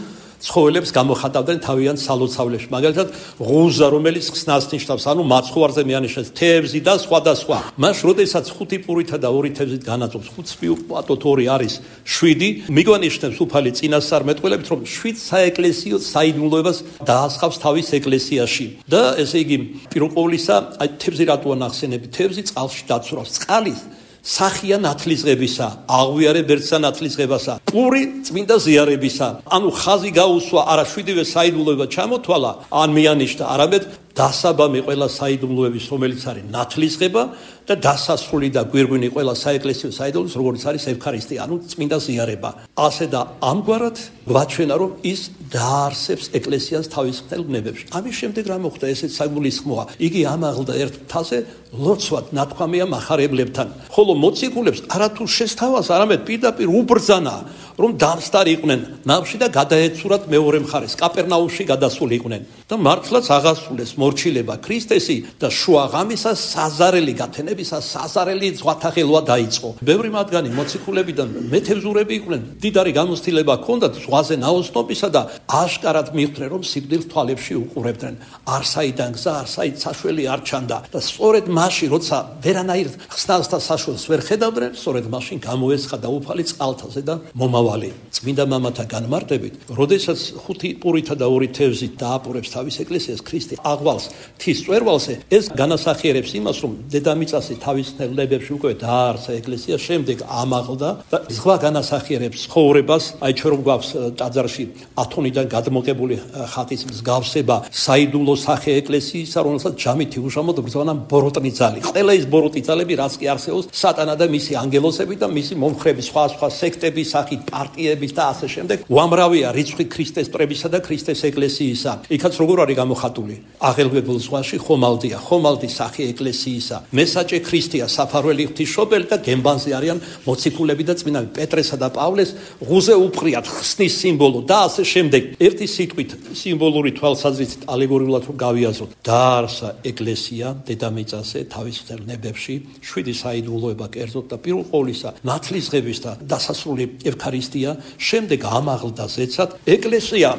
ცხოველებს გამოხატავდნენ თავიანთ სალოცავლებში. მაგალითად, ღუზა, რომელიც ხსნას ნიშნავს, ანუ მაცხოვარზე მეანიშნებს თევზი და სხვადასხვა. მას როდესაც 5 პურითა და 2 თევზით განაწობს, 5 ვუყავთ 2 არის 7, მიგვანიშნებს უფალი წინასწარმეტყველებით, რომ 7 საეკლესიო საიდუმლოებას დაასხავს თავის ეკლესიაში. და ესე იგი, პირველ ყოვლისა, აი თევზი რატოა ნახსენები? თევზი წყალში დაცურავს. წყალი სახია ნათლისღებისა, აღვიარე ბერცსა ნათლისღებასა, პური წმინდა ზიარებისა. ანუ ხაზი გაუსვა, არა 7-ვე საიდუმლოება ჩამოთვალა, ან მიანიშნა, არამედ დასაბამი ყველა საიდუმლოების, რომელიც არის ნათლისღება და დასასრული და გვირგვინი ყველა საეკლესიო საიდუმლოების, როგორც არის ევქარისტია, ანუ წმინდა ზიარება. ასე და ამგვარად გვაჩვენა, რომ ის დაარსებს ეკლესიას თავის მთელ ბნებებში. ამის შემდეგ რა მოხდა? ესეც საგულისხმოა. იგი ამაღლდა ერთ მთაზე, ლოცვად ნათქვამია მახარებლებთან. ხოლო მოციქულებს არათუ შესთავაზ, არამედ პირდაპირ უბრძანა, რომ დამსტარი იყვნენ ნავში და გადაეცურათ მეორე მხარეს, კაპერნაუმში გადასულიყვნენ. და მართლაც აღასრულეს მორჩილება ქრისტესი და შუაღამისას საზარელი გათენებისა საზარელი ზღვათაღელვა დაიწყო. ბევრი მათგანი მოციქულებიდან მეთევზურები იყვნენ, დიდარი გამოცდილება ჰქონდათ ზღვაზე ნაოსნობისა და აშკარად მიხვდნენ, რომ სიკვდილს თვალებში უყურებდნენ. არსაიდან გზა, არსაით საშველი არ ჩანდა და სწორედ მაშინ, როცა ვერანაირ ხსნას და საშველს ვერ ხედავდნენ, სწორედ მაშინ გამოესხა და უფალი წყალთაზე და მომავალი. წმინდა მამათა განმარტებით, როდესაც 5 პურითა და 2 თევზით დააპურებს თავის ეკლესიას ქრისტე აღვალს მთის წვერვალზე, ეს განასახიერებს იმას, რომ დედამიწაზე თავის ნებებში უკვე დაარსა ეკლესია, შემდეგ ამაღლდა და ზღვა განასახიერებს ცხოვრებას. აი ჩვენ რომ გვაქვს ტაძარში ათონიდან გადმოღებული ხატის მსგავსება საიდუმლო სახე ეკლესიისა, რომელსაც ჯამით უშამოდ ბრძანა ბოროტნი ძალი. ყველა ის ბოროტი ძალები, რაც კი არსებობს, სატანა და მისი ანგელოსები და მისი მომხრები, სხვა სექტების სახით, პარტიების და ასე შემდეგ, უამრავია რიცხვი ქრისტეს პრებისა და ქრისტეს ეკლესიისა. იქაც როგორ არის გამოხატული? აღელვებულ ზღვაში ხომალდია, ხომალდი სახე ეკლესიისა. მესაჭე ქრისტეა, საფარველი ღვთისმშობელი და გემბანზე არიან მოციქულები და წმინდა პეტრესა და პავლეს ღუზე უფრიათ ხსნის სიმბოლო და ასე შემდეგ. ერთი სიტყვით სიმბოლური თვალსაზრისით ალეგორიულად რომ გავიაზროთ, დაარსა ეკლესია დედამიწაზე თავის მთელ ნებებში, 7 საიდუმლოება კერძოდ და პირველ ყოვლისა ნათლისღების და დასასრული ევქარისტია, შემდეგ ამაღლდა ზეცად ეკლესია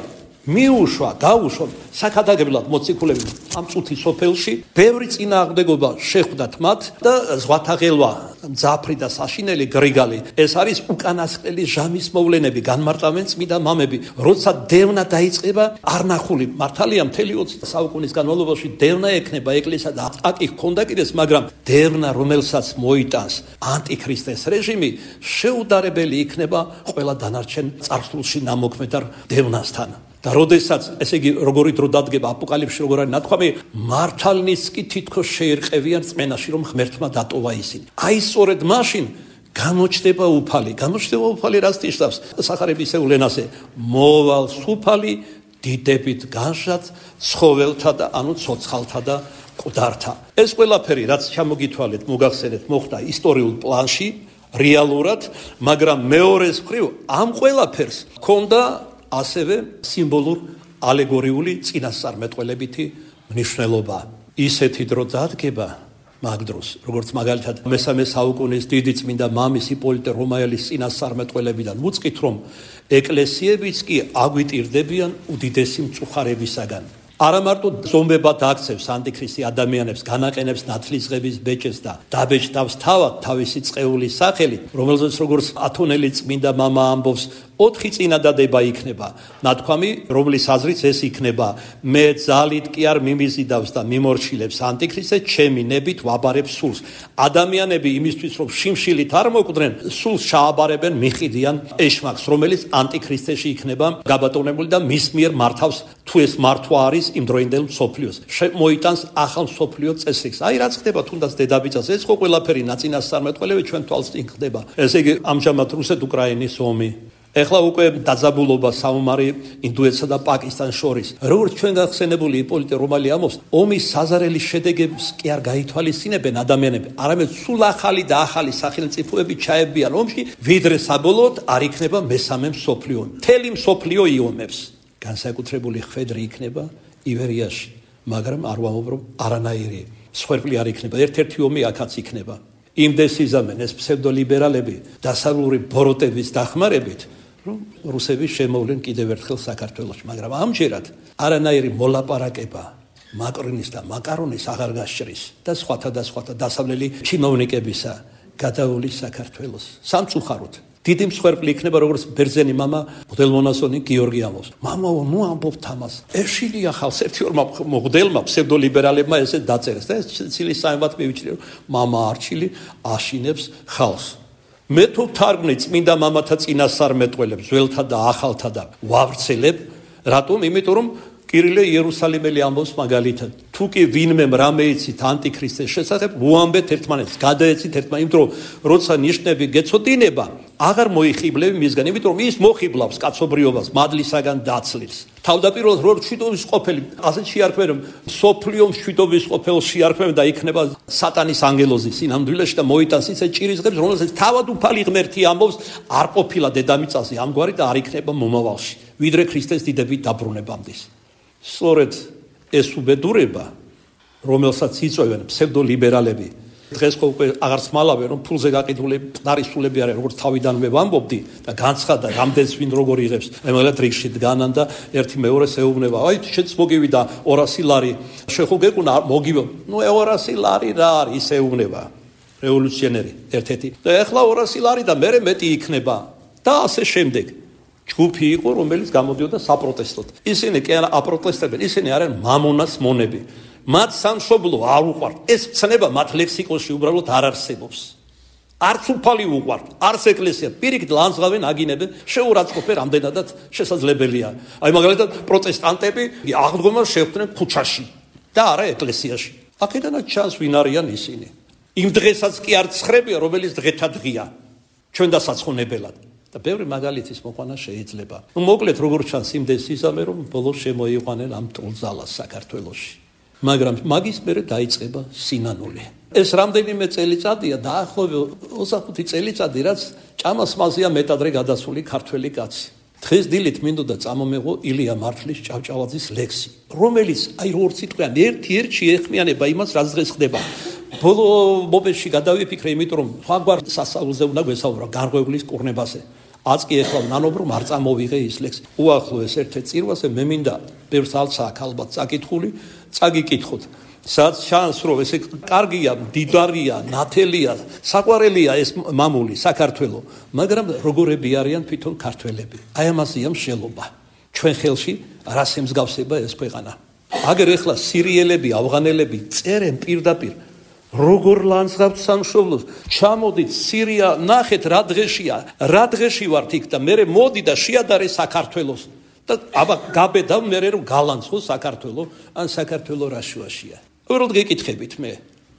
მიუშვა, გაუშვა საქადაგებლად მოციქულები ამ წუთის სოფელში, ბევრი წინააღმდეგობა შეხვდათ მათ და ზღვათაღელვა, მძაფრი და საშინელი გრიგალი, ეს არის უკანასკნელი ჟამის მოვლენები, განმარტავენ წმინდა მამები, როცა დევნა დაიწყება, არნახული მართალია მთელი 20 საუკუნის განმავლობაში დევნა ექნება ეკლესია და აკი ჰქონდა კიდეც, მაგრამ დევნა, რომელსაც მოიტანს ანტიქრისტეს რეჟიმი, შეუდარებელი იქნება ყველა დანარჩენ წარსულში ნამოქმედარ დევნასთან. და როდესაც, ესე იგი, როგორი დრო დადგება აპოკალიფსში, როგორ არის ნათქვამი, მართალნიც კი თითქოს შეერყევიან წმენაში, რომ ღმერთმა დატოვა ისინი. აი სწორედ მაშინ გამოჩნდება უფალი. გამოჩნდება უფალი, რაც ნიშნავს სახარებისეულ ენაზე, მოვალ სუფალი დიდებით განშად ცხოველთა და ანუ ცოცხალთა და მკვდართა. ეს ყველაფერი, რაც ჩამოგითვალეთ, მოგახსენეთ, მოხდა ისტორიულ პლანში, რეალურად, მაგრამ მეორეს მხრივ ამ ყველაფერს ჰქონდა ასევე სიმბოლურ ალეგორიული წინასწარმეტყველებითი მნიშვნელობა. ისეთი დრო დადგება მაგ დროს, როგორც მაგალითად მესამე საუკუნის დიდი წმინდა მამის იპოლიტე რომაელის წინასწარმეტყველებიდან ვუწყით, რომ ეკლესიებიც კი აგვიტირდებიან უდიდესი მწუხარებისაგან. არა მარტო ზომბებად აქცევს ანტიქრისტი ადამიანებს, განაყენებს ნათლისღების ბეჭედს და დაბეჭდავს თავად თავისი წყეულის სახელით, რომელზეც როგორც ათონელი წმინდა მამა ამბობს, 4 წინადადება იქნება. ნათქვამი, რომლის აზრიც ეს იქნება, მე ძალით კი არ მიმიზიდავს და მიმორჩილებს ანტიქრისტე, ჩემი ნებით ვაბარებს სულს. ადამიანები იმისთვის, რომ შიმშილით არ მოკვდნენ, სულს ჩააბარებენ, მიყიდიან ეშმაკს, რომელიც ანტიქრისტეში იქნება გაბატონებული და მის მიერ მართავს, თუ ეს მართვა არის იმ დროინდელ მსოფლიოს. მოიტანს ახალ მსოფლიო წესრიგს. აი რაც ხდება თუნდაც დედამიწაზე, ეს ხო ყველაფერი ნაწინასწარმეტყველები ჩვენ თვალს წინ ხდება. ესე იგი, ამჟამად რუსეთ-უკრაინის ომი, ეხლა უკვე დაძაბულობა საომარი ინდოეთსა და პაკისტანს შორის. როგორც ჩვენ გახსენებული იპოლიტე რომალი ამბობს, ომის საზარელი შედეგებს კი არ გაითვალისწინებენ ადამიანები, არამედ სულ ახალი და ახალი სახელმწიფოები ჩაებიან ომში, ვიდრე საბოლოოდ არ იქნება მესამე მსოფლიო ომი. მთელი მსოფლიო იომებს. განსაკუთრებული ხვედრი იქნება ივერიაში, მაგრამ არ ვამბობ, არანაირი სხვერპლი არ იქნება. ერთ-ერთი ომი აქაც იქნება. იმდეს იზამენ ეს ფსევდოლიბერალები დასავლური ბოროტების დახმარებით, რომ რუსები შემოვლენ კიდევ ერთხელ საქართველოში, მაგრამ ამჯერად არანაირი მოლაპარაკება მაკრონის და მაკარონის აღარ გასჭრის და სხვათა დასავლელი ჩინოვნიკებისა გადაულის საქართველოს სამწუხაროდ. დიდი მსხვერპლი იქნება როგორც ბერძენი мама მღვდელმონაზონი გიორგი ამბობს. მამაო, ნუ ამბობთ ამას. ეშილია ხალხს ერთი ორმა მღვდელმა ფსევდოლიბერალებმა ესე დაწერეს და ეს ცილის საერთოდ მივიჩნიე, რომ мама არჩილი აშინებს ხალხს. მე თუ თარგმნი წმინდა მამათა წინასწარმეტყველებს, ძველთა და ახალთა და ვავრცელებ, რატომ? იმიტომ რომ კირილე იერუსალიმელი ამბობს მაგალითად, თუ კი ვინმე რამე იცით ანტიქრისტეს შესახებ, უამბეთ ერთმანეთს, გადაეცით ერთმანეთს, იმიტომ რომ როცა ნიშნები გეცოდინება, აღარ მოიხიბლები მისგან, იმიტომ რომ ის მოხიბლავს კაცობრიობას, მადლისაგან დაცლილს. თავდაპირველად რო მშვიდობის ყოფილი, ასეთ შეარქმევენ, სოფლიო მშვიდობის ყოფილ შეარქმევენ და იქნება სატანის ანგელოზი სინამდვილეში და მოიტანს ისე ჭირისღებს, რომელსაც თავად უფალი ღმერთი ამბობს, არ ყოფილა დედამიწაზე ამგვარი და არ იქნება მომავალში, ვიდრე ქრისტეს დიდებით დაბრუნებამდე. სწორედ ეს უბედურება, რომელსაც იწვევენ ფსევდოლიბერალები, დღეს უკვე აღარც მალავენ, რომ ფულზე გაყიდული მყარი სულები არის, როგორც თავიდანვე ვამბობდი და განცხადა, რამდენს ვინ როგორ იღებს. მაგალითად რიგში დგანან და ერთი მეორეს ეუბნება, აი შეც მოგივიდა 200 ლარი, შეხო გეკუნა მოგივო. ნუ 200 ლარი რა არის, ის ეუბნება რევოლუციონერი ერთ-ერთი. და ეხლა 200 ლარი და მერე მეტი იქნება და ასე შემდეგ. ჯგუფი იყო, რომელიც გამოდიოდა საპროტესტოდ. ისინი კი არა აპროტესტებენ, ისინი არიან მამონას მონები. მათ სამშობლო არ უყვართ. ეს ცნება მათ ლექსიკონში უბრალოდ არ არსებობს. არც უფალი უყვართ, არც ეკლესია. პირიქით ლანძღავენ, აგინებენ, შეურაცხყოფენ რამდენადაც შესაძლებელია. აი მაგალითად პროტესტანტები აღდგომას შეხვდნენ ქუჩაში და არა ეკლესიაში. აქედანაც ჩანს ვინ არიან ისინი. იმ დღესაც კი არ ცხრებია, რომელიც დღეთა დღეა. ჩვენ დასაცხონებელად. და ბევრი მაგალითის მოყვანა შეიძლება. მოკლედ როგორ ჩანს იმდეს იზამე რომ ბოლოს შემოიყვანენ ამ ტოლძალას საქართველოში. მაგრამ მაგის მერე დაიწყება სინანული. ეს რამდენიმე წელიწადია დაახლოებით 25 წელიწადი რაც ჭამას მაზია მეტადრე გადასული ქართველი კაცი. დღეს დილით მინდოდა წამომეღო ილია მართლის ჭავჭავაძის ლექსი, რომელიც აი როგორც სიტყვიან ერთ-ერთში ეხმიანება იმას რაც დღეს ხდება. ბოლო მომენტში გადავიფიქრე, იმიტომ რომ სხვაგვარ სასწაულზე უნდა გვესაუბრო გარღვევლის კურნებაზე. აცკი ეხლა ნანობრო არ წამოვიღე ის ლექსი. უახლოეს ერთ-ერთ წირვაზე მე მინდა ბევრს ალცა აქ ალბათ წაკითხული, წაგიკითხოთ. სადაც ჩანს რომ ესე კარგია, მდიდარია, ნათელია, საყვარელია ეს მამული საქართველო, მაგრამ როგორები არიან თვითონ ქართველები. აი ამაზეა მსჯელობა. ჩვენ ხელში რას ემსგავსება ეს ქვეყანა. აგერ ეხლა სირიელები, ავღანელები წერენ პირდაპირ როგორ ლანძღავთ სამშობლოს, ჩამოდით სირია, ნახეთ რა დღეშია, რა დღეში ვართ იქ და მე მოდი და შეადარე საქართველოს და აბა გაბედა მე რომ გალანძღო საქართველო, ან საქართველო რა შუაშია. უბრალოდ გეკითხებით მე.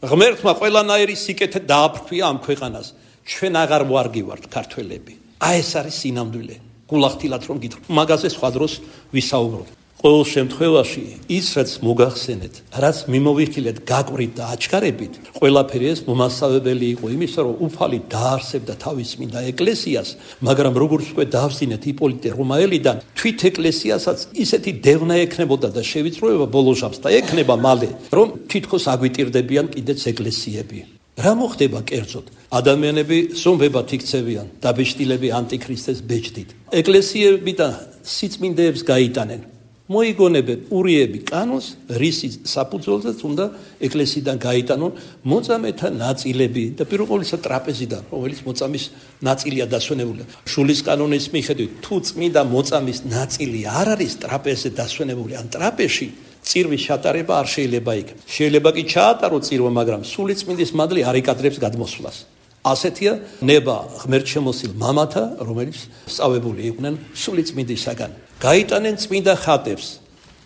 ღმერთმა ყველანაირი სიკეთე დააფრქვია ამ ქვეყანას. ჩვენ აღარ ვარგივართ ქართველები. აი ეს არის სინამდვილე. გულახდილად რომ გითხრათ, მაგაზე სხვა დროს ვისაუბროთ. ყოველ შემთხვევაში ის რაც მოგახსენეთ, რაც მიმოვიხილეთ, გაკვირით და აჩქარებით, ყველაფერი ეს მომასწავლებელი იყო იმისა, რომ უფალი დაარსებდა თავის წმინდა ეკლესიას, მაგრამ როგორც უკვე დავსინეთ იპოლიტე რომაელიდან, თვით ეკლესიასაც ისეთი დევნა ექნებოდა და შევიწროება ბოლოჟამს და ექნება მალე, რომ თითქოს აგვიტირდებიან კიდეც ეკლესიები. რა მოხდება კერძოდ? ადამიანები ზომბებად იქცევიან, დაბეჭდილები ანტიქრისტეს ბეჭდით. ეკლესიები და სიწმინდეებს გაიტანენ. მოიგონებენ ურიები კანონს, რისის საფუძველზეც უნდა ეკლესიიდან გაიტანონ მოწამეთა ნაწილები და პირველ ყოვლისა ტრაპეზიდან, რომელიც მოწამის ნაწილია დასვენებული. შულის კანონის მიხედვით, თუ წმინდა მოწამის ნაწილი არ არის ტრაპეზზე დასვენებული, ან ტრაპეზში წირვის ჩატარება არ შეიძლება იქ. შეიძლება კი ჩაატარო წირვა, მაგრამ სული წმინდის მადლი არ იკადრებს გადმოსვლას. ასეთია ნება ღმერთშემოსილ მამათა, რომელიც სწავებული იყვნენ სული წმინდისაგან. გაიტანენ წმინდა ხატებს,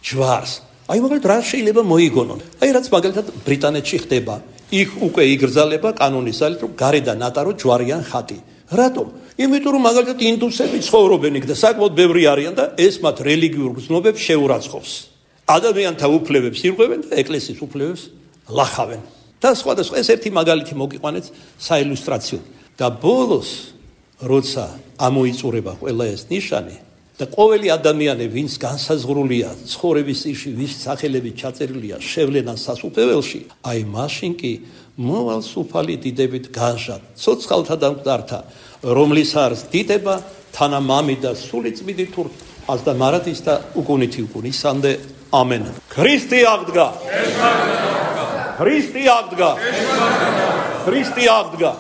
ჯვარს. აი მაგალითად რა შეიძლება მოიგონონ? აი რაც მაგალითად ბრიტანეთში ხდება. იქ უკვე იგრძალება კანონის ძალით, რომ გარედან ატარო ჯვარიან ხატი. რატომ? იმიტომ რომ მაგალითად ინდუსები ცხოვრობენ იქ და საკმაოდ ბევრი არიან და ეს მათ რელიგიურ გრძნობებს შეურაცხყოფს. ადამიანთა უფლებებს ირღვევენ და ეკლესიის უფლებებს ლახავენ. და სხვადასხვა ეს ერთი მაგალითი მოგიყვანეთ საილუსტრაციო. და ბოლოს როცა ამოიწურება ყველა ეს ნიშანი და ყოველი ადამიანი, ვინც განსაზღვრულია ცხოვრების წირში, ვის სახელები ჩაწერილია შევლენან სასუფეველში, აი მაშინ კი მოვალს უფალი დიდებით განჟად, ცოცხალთა და მკვდართა, რომლის არს დიდება თანა მამი და სული წმინდი თურ ազდა მარადის და უკუნითი უკუნისამდე ამენ. ქრისტე აღდგა. ქრისტე აღდგა. ქრისტე აღდგა.